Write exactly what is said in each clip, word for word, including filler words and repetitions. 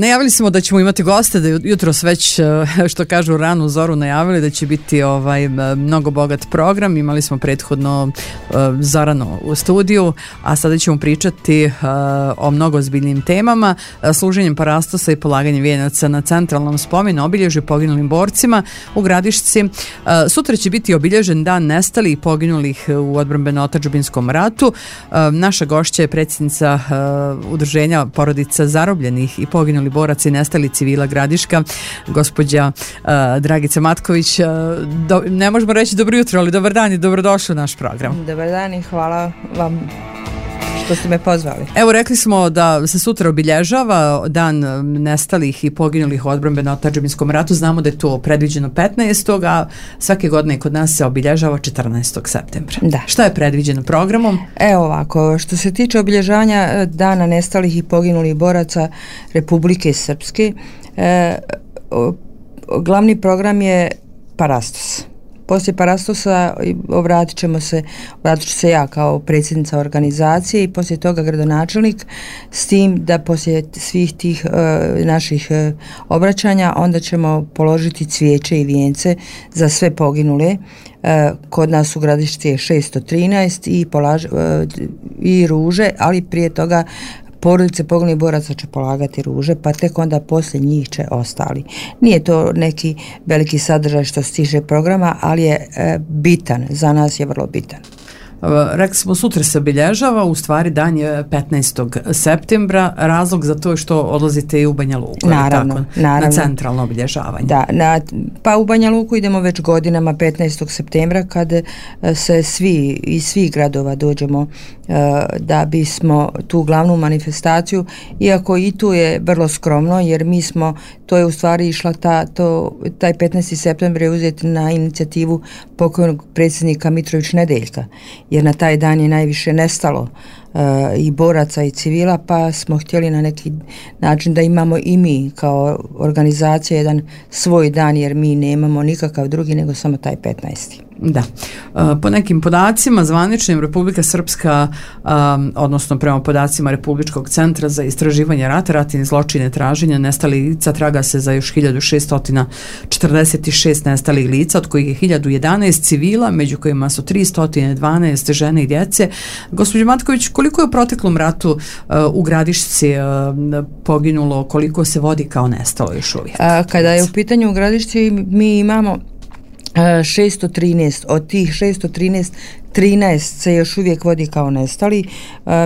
Najavili smo da ćemo imati goste, da jutros već, što kažu, ranu zoru najavili da će biti ovaj mnogo bogat program. Imali smo prethodno uh, Zorano u studiju, a sada ćemo pričati uh, o mnogo ozbiljnim temama, uh, služenjem parastosa i polaganjem vijenaca na centralnom spomenu obilježju poginulim borcima u Gradišci. Uh, sutra će biti obilježen dan nestalih i poginulih u odbrambeno-otadžbinskom ratu. Uh, naša gošća je predsjednica uh, udruženja porodica zarobljenih i poginulih boraca i nestali civila Gradiška, gospođa uh, Dragica Matković. Uh, do, ne možemo reći dobro jutro, ali dobar dan i dobrodošli u naš program. Dobar dan i hvala vam što ste me pozvali. Evo, rekli smo da se sutra obilježava dan nestalih i poginulih u odbrambeno-otadžbinskom ratu. Znamo da je to predviđeno petnaestog a svake godine kod nas se obilježava četrnaestog septembra. Da. Šta je predviđeno programom? Evo ovako, što se tiče obilježavanja dana nestalih i poginulih boraca Republike Srpske, e, o, glavni program je Parastos. Poslije Parastosa obratit ćemo se, obratit ću se ja kao predsjednica organizacije i poslije toga gradonačelnik, s tim da poslije svih tih e, naših e, obraćanja onda ćemo položiti cvijeće i vijence za sve poginule. E, kod nas u Gradišci je šesto trinaest i, polaž, e, i ruže, ali prije toga porodice poginulih boraca će polagati ruže, pa tek onda poslije njih će ostali. Nije to neki veliki sadržaj što se tiče programa, ali je e, bitan, za nas je vrlo bitan. Rekli smo, sutra se obilježava, u stvari dan je petnaestog septembra, razlog za to je što odlazite i u Banja Luku, naravno, tako, naravno. na centralno obilježavanje. Da, na, pa u Banja Luku idemo već godinama petnaestog septembra kad se svi iz svih gradova dođemo uh, da bismo tu glavnu manifestaciju, iako i tu je vrlo skromno, jer mi smo, to je u stvari išla ta, to, taj petnaesti septembar je uzet na inicijativu pokojnog predsjednika Mitrović Nedeljka, jer na taj dan je najviše nestalo uh, i boraca i civila, pa smo htjeli na neki način da imamo i mi kao organizacija jedan svoj dan, jer mi nemamo nikakav drugi nego samo taj petnaesti. Da. Po nekim podacima zvaničnim Republika Srpska, um, odnosno prema podacima Republičkog centra za istraživanje rata, ratnih zločina i traženja nestalih lica, traga se za još hiljadu šesto četrdeset šest nestalih lica, od kojih je hiljadu jedanaest civila, među kojima su tristo dvanaest žene i djece. Gospođo Matković, koliko je u proteklom ratu uh, u Gradišci uh, poginulo, koliko se vodi kao nestalo još uvijek? A, kada je u pitanju u Gradišci, mi imamo šesto trinaest, od tih šesto trinaest, trinaest se još uvijek vodi kao nestali,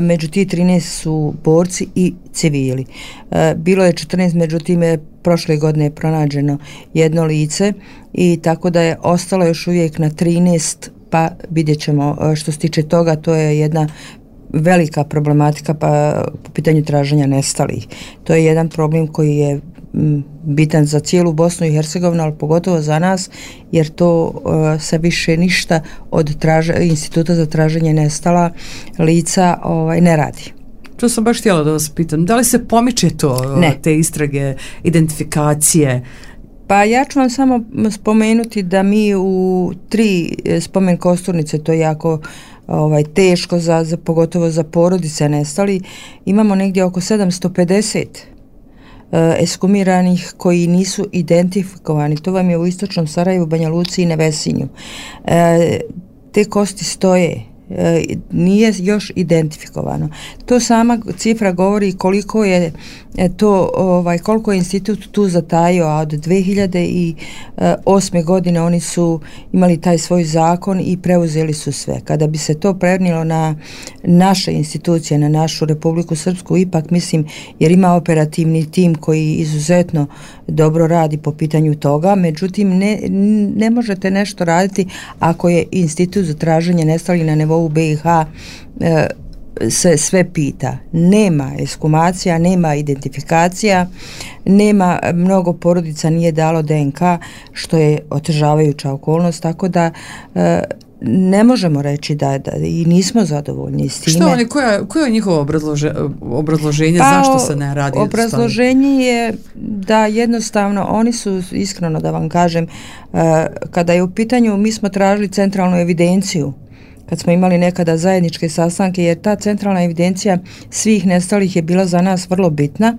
među tih trinaest su borci i civili. Bilo je četrnaest, međutim je prošle godine pronađeno jedno lice i tako da je ostalo još uvijek na trinaest, pa vidjet ćemo što se tiče toga, to je jedna velika problematika pa po pitanju traženja nestalih. To je jedan problem koji je bitan za cijelu Bosnu i Hercegovinu, ali pogotovo za nas, jer to uh, se više ništa od traže, instituta za traženje nestala lica ovaj, ne radi. To sam baš htjela da vas pitam. Da li se pomiče to, ne. te istrage, identifikacije? Pa ja ću vam samo spomenuti da mi u tri spomen kosturnice, to je jako ovaj, teško, za, za, pogotovo za porodice nestali, imamo negdje oko sedamsto pedeset eskumiranih koji nisu identifikovani. To vam je u istočnom Sarajevu, Banja Luci i Nevesinju. E, te kosti stoje, e, nije još identifikovano. To sama cifra govori koliko je to, ovaj, koliko je institut tu zatajio, a od dve hiljade osme godine oni su imali taj svoj zakon i preuzeli su sve. Kada bi se to prenijelo na naše institucije, na našu Republiku Srpsku, ipak mislim, jer ima operativni tim koji izuzetno dobro radi po pitanju toga, međutim ne, ne možete nešto raditi ako je institut za traženje nestalih na nivou B i H e, se sve pita. Nema ekshumacija, nema identifikacija, nema, mnogo porodica nije dalo D N K, što je otežavajuća okolnost, tako da e, ne možemo reći da, da i nismo zadovoljni s time. Što oni, koja, koje je njihovo obrazlože, obrazloženje pa, zašto se ne radi? Obrazloženje je da jednostavno oni su, iskreno da vam kažem, uh, kada je u pitanju, mi smo tražili centralnu evidenciju kad smo imali nekada zajedničke sastanke, jer ta centralna evidencija svih nestalih je bila za nas vrlo bitna.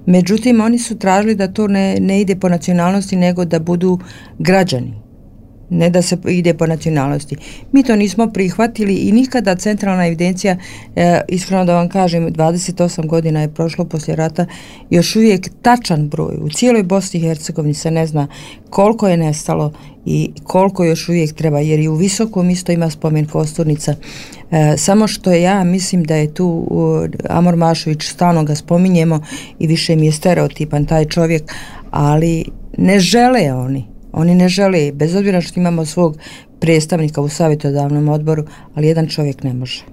Međutim, oni su tražili da to ne, ne ide po nacionalnosti, nego da budu građani, ne da se ide po nacionalnosti. Mi to nismo prihvatili i nikada centralna evidencija, e, iskreno da vam kažem, dvadeset osam godina je prošlo poslije rata, još uvijek tačan broj. U cijeloj Bosni i Hercegovini se ne zna koliko je nestalo i koliko još uvijek treba, jer i u Visokom isto ima spomen kosturnica. E, samo što ja mislim da je tu uh, Amor Mašović, stalno ga spominjemo i više mi je stereotipan taj čovjek, ali ne žele oni. Oni ne žele, bez obzira što imamo svog predstavnika u savjetodavnom odboru, ali jedan čovjek ne može.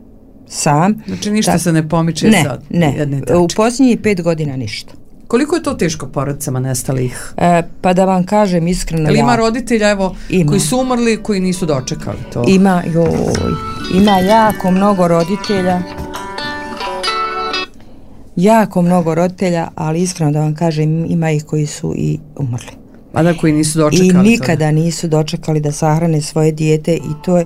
Sam. Znači ništa tak, se ne pomiče ne, sad. Ne, ne. U posljednjih pet godina ništa. Koliko je to teško porodicama nestalih? E, pa da vam kažem iskreno... Ali ima roditelja, evo, ima. Koji su umrli, koji nisu dočekali to? Ima, joj, ima jako mnogo roditelja. Jako mnogo roditelja, ali iskreno da vam kažem, ima ih koji su i umrli. A da, koji nisu dočekali i nikada to. nisu dočekali da sahrane svoje dijete i to je,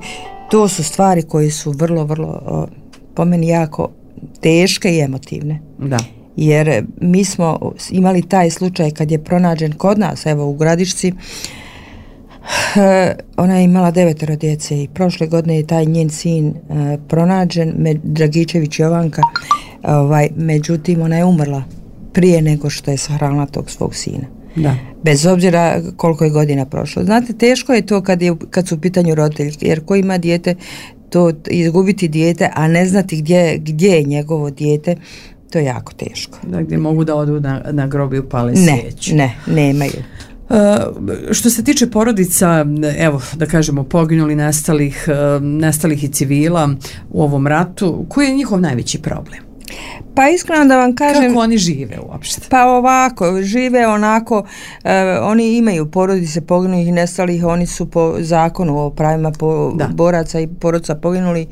to su stvari koje su vrlo, vrlo o, po meni jako teške i emotivne. Da. Jer mi smo imali taj slučaj kad je pronađen kod nas, evo u Gradišci, ona je imala devetero djece i prošle godine je taj njen sin uh, pronađen, med, Dragičević Jovanka, ovaj, međutim ona je umrla prije nego što je sahranila tog svog sina. Da. Bez obzira koliko je godina prošlo. Znate, teško je to kad, je, kad su u pitanju roditelji, jer ko ima dijete, to izgubiti dijete, a ne znati gdje, gdje je njegovo dijete, to je jako teško. Da, gdje mogu da odu na, na grob i upale ne, svijeću. Ne, nemaju. Uh, što se tiče porodica, evo da kažemo poginuli, nestalih, uh, nestalih i civila u ovom ratu, koji je njihov najveći problem? Pa iskreno da vam kažem... Kako oni žive uopšte? Pa ovako, žive onako, e, oni imaju porodice poginulih i nestalih, oni su po zakonu o pravima po, boraca i porodica poginuli e,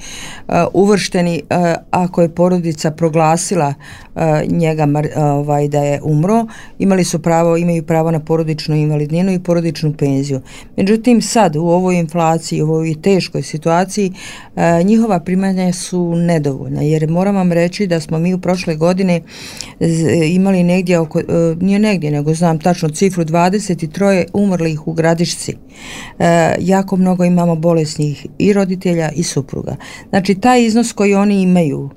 uvršteni, e, ako je porodica proglasila e, njega e, ovaj, da je umro, imali su pravo, imaju pravo na porodičnu invalidninu i porodičnu penziju. Međutim, sad u ovoj inflaciji, u ovoj teškoj situaciji, e, njihova primanja su nedovoljna, jer moram vam reći da smo mi u prošle godine imali negdje oko, nije negdje, nego znam tačno cifru, dvadeset tri umrlih u Gradišci. E, jako mnogo imamo bolesnih i roditelja i supruga. Znači, taj iznos koji oni imaju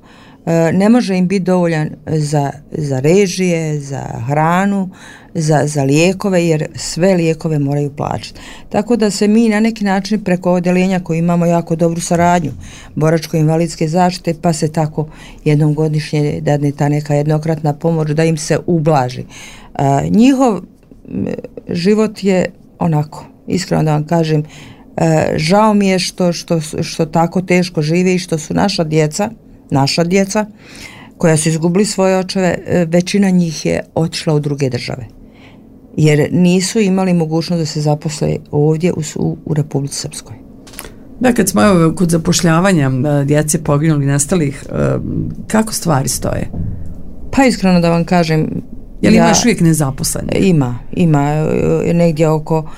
e, ne može im biti dovoljan za, za režije, za hranu, za, za lijekove, jer sve lijekove moraju plaćati. Tako da se mi na neki način preko odeljenja koji imamo jako dobru saradnju boračko-invalidske zaštite, pa se tako jednom godišnje dadne ta neka jednokratna pomoć da im se ublaži. E, njihov život je onako, iskreno da vam kažem, e, žao mi je što, što, što tako teško žive i što su naša djeca, naša djeca koja su izgubili svoje očeve, većina njih je otišla u druge države. Jer nisu imali mogućnost da se zaposle ovdje u, u, u Republici Srpskoj. Da, kad smo evo, kod zapošljavanja djece poginulih, nestalih, kako stvari stoje? Pa iskreno da vam kažem... Je li ja, imaš uvijek nezaposlene? Ima, ima negdje oko...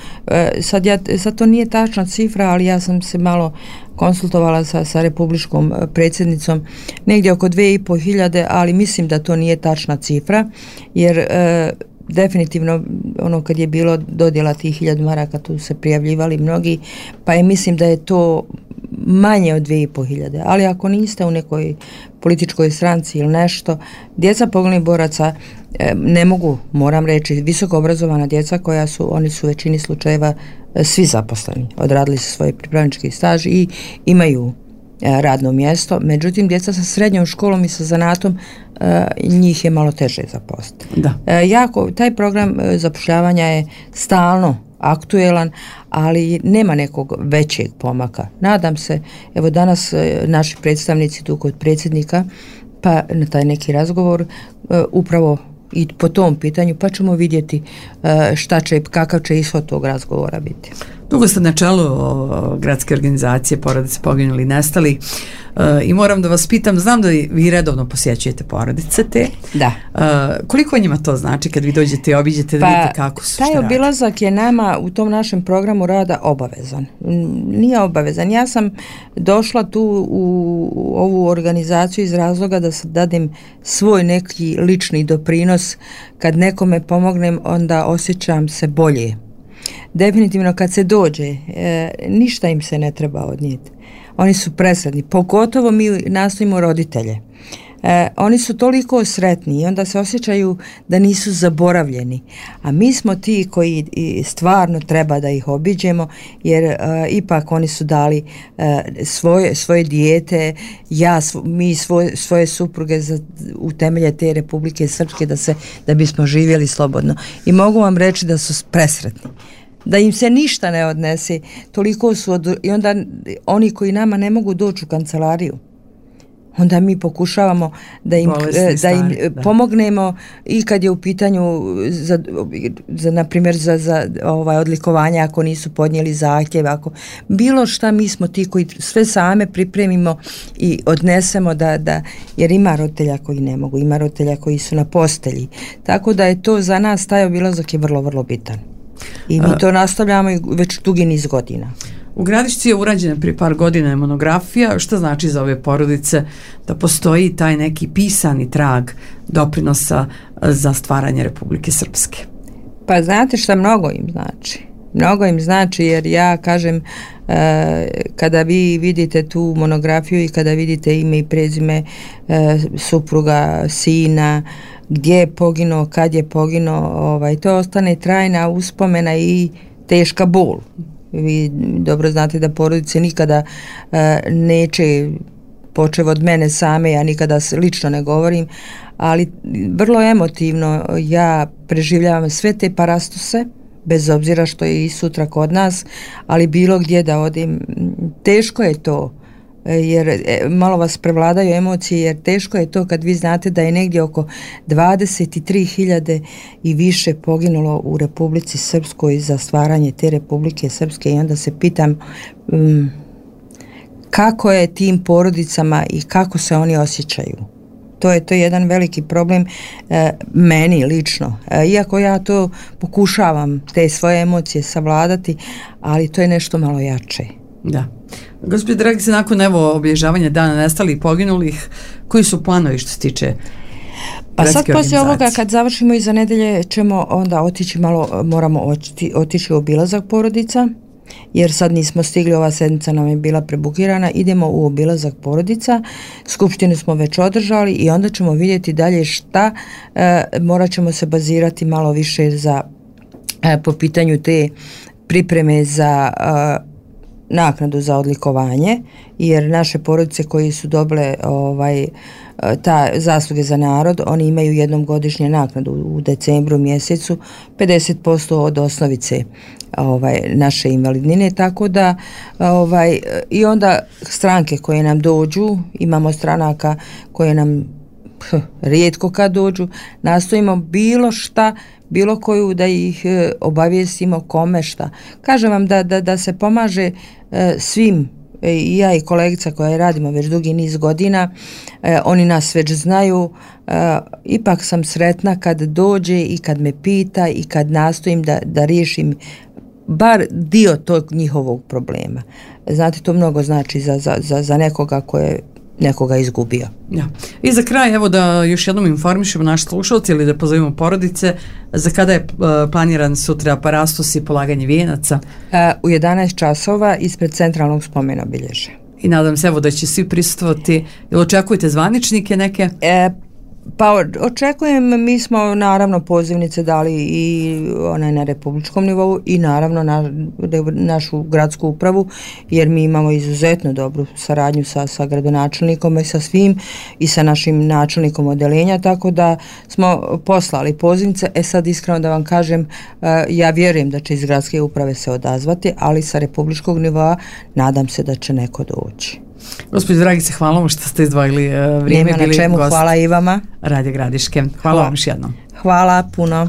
Sad, ja, sad to nije tačna cifra, ali ja sam se malo konsultovala sa, sa republičkom predsjednicom, negdje oko dve i po hiljade, ali mislim da to nije tačna cifra, jer... E, definitivno ono kad je bilo dodjela tih hiljadu maraka, tu se prijavljivali mnogi, pa je mislim da je to manje od dvije i po hiljade, ali ako niste u nekoj političkoj stranci ili nešto, djeca poginulih boraca e, ne mogu, moram reći, visoko obrazovana djeca koja su, oni su u većini slučajeva e, svi zaposleni, odradili su svoj pripravnički staž i imaju e, radno mjesto, međutim djeca sa srednjom školom i sa zanatom e, njih je malo teže zaposliti. Da. E, jako, taj program e, zapošljavanja je stalno aktuelan, ali nema nekog većeg pomaka. Nadam se, evo danas e, naši predstavnici tu kod predsjednika, pa na taj neki razgovor e, upravo i po tom pitanju, pa ćemo vidjeti e, šta će, kakav će ishod tog razgovora biti. Dugo ste na čelu o, gradske organizacije porodice poginuli i nestali e, i moram da vas pitam, znam da vi redovno posjećujete porodice te. Da. E, koliko njima to znači kad vi dođete i obiđete da pa, vidite kako su, taj obilazak je nama u tom našem programu rada obavezan. Nije obavezan. Ja sam došla tu u, u ovu organizaciju iz razloga da se dadim svoj neki lični doprinos. Kad nekome pomognem, onda osjećam se bolje. Definitivno kad se dođe, e, ništa im se ne treba odnijeti. Oni su presretni, pogotovo mi nastojimo roditelje. E, oni su toliko sretni i onda se osjećaju da nisu zaboravljeni. A mi smo ti koji stvarno treba da ih obiđemo, jer e, ipak oni su dali e, svoje, svoje dijete, ja, svo, mi svoje, svoje supruge za, u temelje te Republike Srpske da, se, da bismo živjeli slobodno. I mogu vam reći da su presretni. Da im se ništa ne odnese, toliko su od, i onda oni koji nama ne mogu doći u kancelariju, onda mi pokušavamo da im, da im da. pomognemo i kad je u pitanju za, za na primjer za, za ovaj odlikovanja ako nisu podnijeli zahtjev, ako bilo šta, mi smo ti koji sve same pripremimo i odnesemo da, da jer ima roditelja koji ne mogu, ima roditelja koji su na postelji, tako da je to za nas, taj obilazak je vrlo vrlo bitan. I mi to nastavljamo već dugi niz godina. U Gradišci je urađena prije par godina monografija. Šta znači za ove porodice da postoji taj neki pisani trag doprinosa za stvaranje Republike Srpske? Pa znate šta, mnogo im znači. Mnogo im znači jer ja kažem, e, kada vi vidite tu monografiju i kada vidite ime i prezime e, supruga, sina, gdje je poginuo, kad je poginuo, ovaj, to ostane trajna uspomena i teška bol. Vi dobro znate da porodice nikada e, neće, počev od mene same, ja nikada lično ne govorim, ali vrlo emotivno ja preživljavam sve te parastose, bez obzira što je i sutra kod nas, ali bilo gdje da odim, teško je to, jer malo vas prevladaju emocije, jer teško je to kad vi znate da je negdje oko dvadeset tri hiljade i više poginulo u Republici Srpskoj za stvaranje te Republike Srpske, i onda se pitam um, kako je tim porodicama i kako se oni osjećaju. To je to je jedan veliki problem e, meni lično. E, iako ja to pokušavam te svoje emocije savladati, ali to je nešto malo jače. Da. Gospođo Dragice, nakon evo obilježavanja dana nestalih i poginulih, koji su planovi što se tiče pa sad poslije ovoga kad završimo iza nedelje ćemo onda otići malo, moramo otići, otići u obilazak porodica, jer sad nismo stigli, ova sedmica nam je bila prebukirana, idemo u obilazak porodica, skupštinu smo već održali i onda ćemo vidjeti dalje šta, e, morat ćemo se bazirati malo više za e, po pitanju te pripreme za e, naknadu za odlikovanje, jer naše porodice koji su dobile ovaj, ta zasluge za narod, oni imaju jednom godišnje naknadu u decembru mjesecu, pedeset posto od osnovice ovaj, naše invalidnine, tako da ovaj, i onda stranke koje nam dođu, imamo stranaka koje nam hm, rijetko kad dođu, nastojimo bilo šta, bilo koju da ih e, obavijestimo kome šta. Kažem vam da, da, da se pomaže e, svim, e, i ja i kolegica koja radimo već dugi niz godina, e, oni nas već znaju, e, ipak sam sretna kad dođe i kad me pita i kad nastojim da, da riješim bar dio tog njihovog problema. Znate, to mnogo znači za, za, za, za nekoga koje nekoga izgubio. Ja. I za kraj, evo da još jednom informišemo naše slušalce ili da pozovemo porodice, za kada je uh, planiran sutra parastos i polaganje vijenaca? Uh, u jedanaest časova ispred centralnog spomena obilježja. I nadam se evo da će svi prisustvovati. Ili očekujete zvaničnike neke? E, pa očekujem, mi smo naravno pozivnice dali i onaj na republičkom nivou i naravno na našu gradsku upravu, jer mi imamo izuzetno dobru saradnju sa, sa gradonačelnikom i sa svim i sa našim načelnikom odeljenja, tako da smo poslali pozivnice. E sad iskreno da vam kažem, ja vjerujem da će iz gradske uprave se odazvati, ali sa republičkog nivoa nadam se da će neko doći. Gospođo Dragice, hvala vam što ste izdvojili uh, vrijeme. Nema na čemu, hvala i vama. Radio Gradiške. Hvala, hvala vam još jednom. Hvala puno.